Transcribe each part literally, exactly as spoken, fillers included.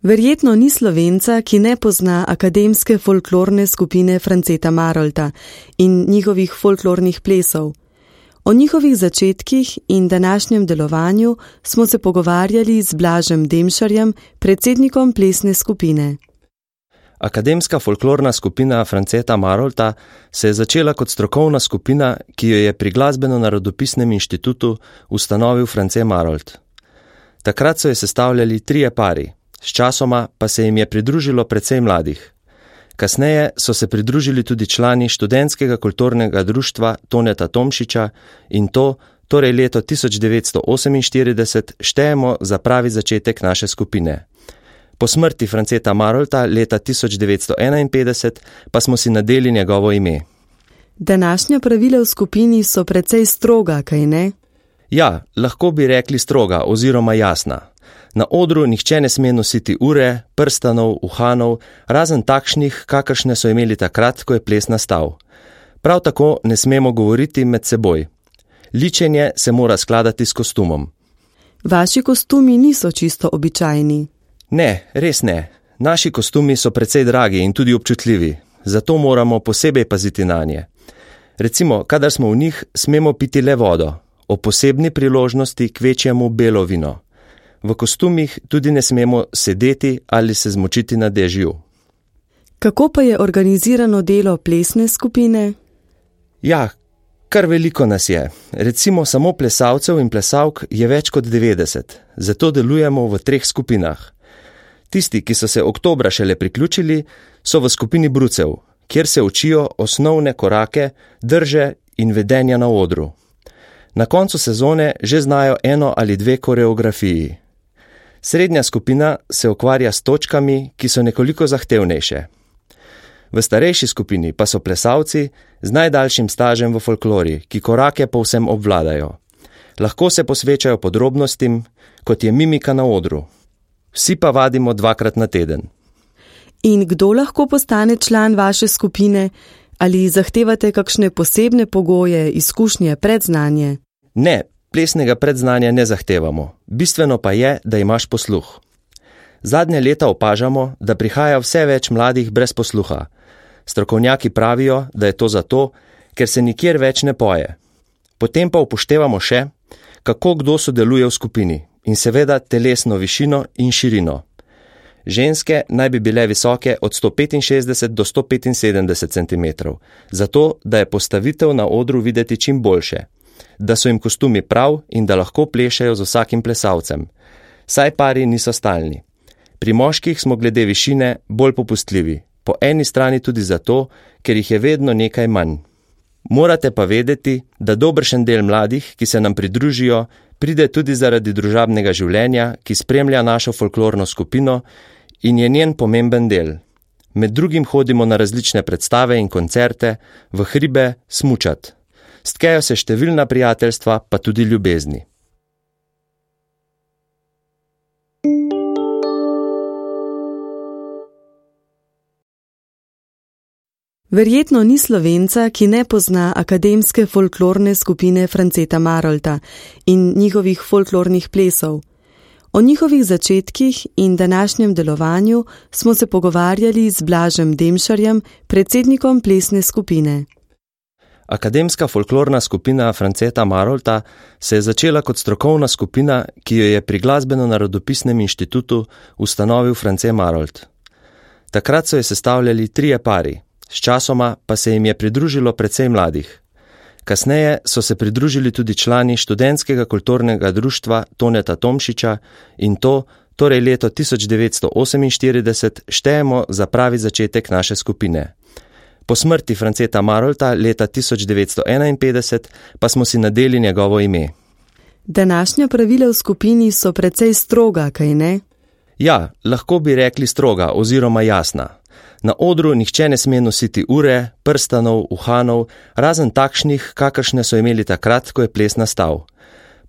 Verjetno ni Slovenca, ki ne pozna akademske folklorne skupine Franceta Marolta in njihovih folklornih plesov. O njihovih začetkih in današnjem delovanju smo se pogovarjali z Blažem Demšarjem, predsednikom plesne skupine. Akademska folklorna skupina Franceta Marolta se je začela kot strokovna skupina, ki jo je pri Glasbeno-narodopisnem inštitutu ustanovil France Marolt. Takrat so jo sestavljali trije pari, sčasoma pa se jim je pridružilo precej mladih. Kasneje so se pridružili tudi člani študentskega kulturnega društva Toneta Tomšiča in to, torej leto tisoč devetsto oseminštirideset, štejemo za pravi začetek naše skupine. Po smrti Franceta Marolta leta tisoč devetsto enainpetdeset pa smo si nadeli njegovo ime. Današnja pravila v skupini so precej stroga, kaj ne? Ja, lahko bi rekli stroga oziroma jasna. Na odru nihče ne sme nositi ure, prstanov, uhanov, razen takšnih, kakršne so imeli takrat, ko je ples nastal. Prav tako ne smemo govoriti med seboj. Ličenje se mora skladati s kostumom. Vaši kostumi niso čisto običajni. Ne, res ne. Naši kostumi so precej dragi in tudi občutljivi, zato moramo posebej paziti nanje. Recimo, kadar smo v njih, smemo piti le vodo, o posebni priložnosti kvečjemu belo vino. V kostumih tudi ne smemo sedeti ali se zmočiti na dežju. Kako pa je organizirano delo plesne skupine? Ja, kar veliko nas je. Recimo samo plesalcev in plesalk je več kot devetdeset, zato delujemo v treh skupinah. Tisti, ki so se oktobra šele priključili, so v skupini brucev, kjer se učijo osnovne korake, drže in vedenja na odru. Na koncu sezone že znajo eno ali dve koreografiji. Srednja skupina se ukvarja s točkami, ki so nekoliko zahtevnejše. V starejši skupini pa so plesalci z najdaljšim stažem v folklori, ki korake povsem obvladajo. Lahko se posvečajo podrobnostim, kot je mimika na odru. Vsi pa vadimo dvakrat na teden. In kdo lahko postane član vaše skupine? Ali zahtevate kakšne posebne pogoje, izkušnje, predznanje? Ne, plesnega predznanja ne zahtevamo. Bistveno pa je, da imaš posluh. Zadnje leta opažamo, da prihaja vse več mladih brez posluha. Strokovnjaki pravijo, da je to zato, ker se nikjer več ne poje. Potem pa upoštevamo še, kako kdo sodeluje v skupini in seveda telesno višino in širino. Ženske naj bi bile visoke od sto petinšestdeset do sto petinsedemdeset centimetrov, zato da je postavitev na odru videti čim boljše, da so jim kostumi prav in da lahko plešejo z vsakim plesalcem. Saj pari niso stalni. Pri moških smo glede višine bolj popustljivi, po eni strani tudi zato, ker jih je vedno nekaj manj. Morate pa vedeti, da dobršen del mladih, ki se nam pridružijo, pride tudi zaradi družabnega življenja, ki spremlja našo folklorno skupino in je njen pomemben del. Med drugim hodimo na različne predstave in koncerte, v hribe, smučat. Stkejo se številna prijateljstva, pa tudi ljubezni. Verjetno ni Slovenca, ki ne pozna akademske folklorne skupine Franceta Marolta in njihovih folklornih plesov. O njihovih začetkih in današnjem delovanju smo se pogovarjali z Blažem Demšarjem, predsednikom plesne skupine. Akademska folklorna skupina Franceta Marolta se je začela kot strokovna skupina, ki jo je pri Glasbeno-narodopisnem inštitutu ustanovil France Marolt. Takrat so jo sestavljali trije pari, sčasoma pa se jim je pridružilo precej mladih. Kasneje so se pridružili tudi člani študentskega kulturnega društva Toneta Tomšiča in to, torej leto tisoč devetsto oseminštirideset, štejemo za pravi začetek naše skupine. Po smrti Franceta Marolta leta tisoč devetsto enainpetdeset pa smo si nadeli njegovo ime. Današnja pravila v skupini so precej stroga, kaj ne? Ja, lahko bi rekli stroga oziroma jasna. Na odru nihče ne sme nositi ure, prstanov, uhanov, razen takšnih, kakršne so imeli takrat, ko je ples nastal.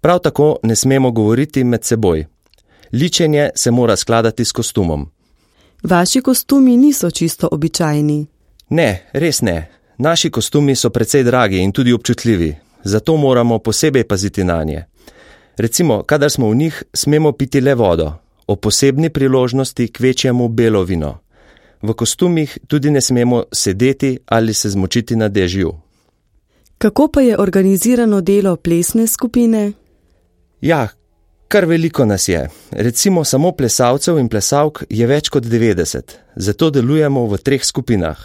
Prav tako ne smemo govoriti med seboj. Ličenje se mora skladati s kostumom. Vaši kostumi niso čisto običajni. Ne, res ne. Naši kostumi so precej dragi in tudi občutljivi, zato moramo posebej paziti nanje. Recimo, kadar smo v njih, smemo piti le vodo, o posebni priložnosti k večjemu belo vino. V kostumih tudi ne smemo sedeti ali se zmočiti na dežju. Kako pa je organizirano delo plesne skupine? Ja, kar veliko nas je. Recimo samo plesalcev in plesalk je več kot devetdeset, zato delujemo v treh skupinah.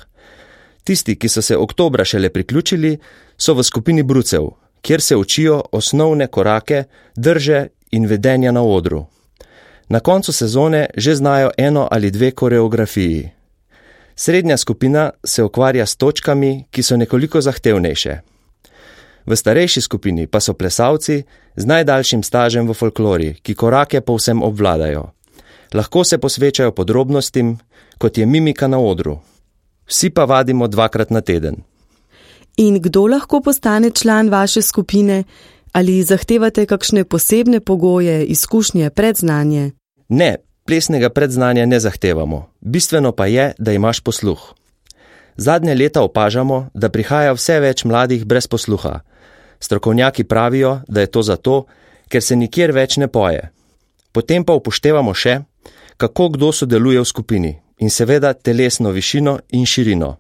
Tisti, ki so se oktobra šele priključili, so v skupini brucev, kjer se učijo osnovne korake, drže in vedenja na odru. Na koncu sezone že znajo eno ali dve koreografiji. Srednja skupina se ukvarja s točkami, ki so nekoliko zahtevnejše. V starejši skupini pa so plesalci z najdaljšim stažem v folklori, ki korake povsem obvladajo. Lahko se posvečajo podrobnostim, kot je mimika na odru. Vsi pa vadimo dvakrat na teden. In kdo lahko postane član vaše skupine? Ali zahtevate kakšne posebne pogoje, izkušnje, predznanje? Ne, plesnega predznanja ne zahtevamo. Bistveno pa je, da imaš posluh. Zadnje leta opažamo, da prihaja vse več mladih brez posluha. Strokovnjaki pravijo, da je to zato, ker se nikjer več ne poje. Potem pa upoštevamo še, kako kdo sodeluje v skupini in seveda telesno višino in širino.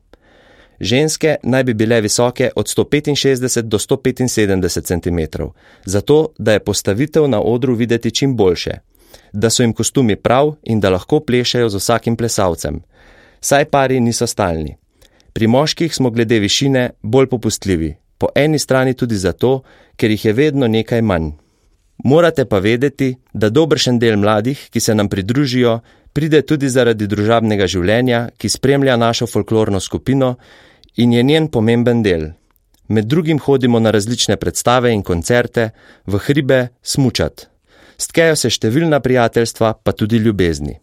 Ženske naj bi bile visoke od sto petinšestdeset do sto petinsedemdeset centimetrov, zato da je postavitev na odru videti čim boljše, da so jim kostumi prav in da lahko plešejo z vsakim plesalcem. Saj pari niso stalni. Pri moških smo glede višine bolj popustljivi, po eni strani tudi zato, ker jih je vedno nekaj manj. Morate pa vedeti, da dobršen del mladih, ki se nam pridružijo, pride tudi zaradi družabnega življenja, ki spremlja našo folklorno skupino in je njen pomemben del. Med drugim hodimo na različne predstave in koncerte, v hribe, smučat. Stkejo se številna prijateljstva, pa tudi ljubezni.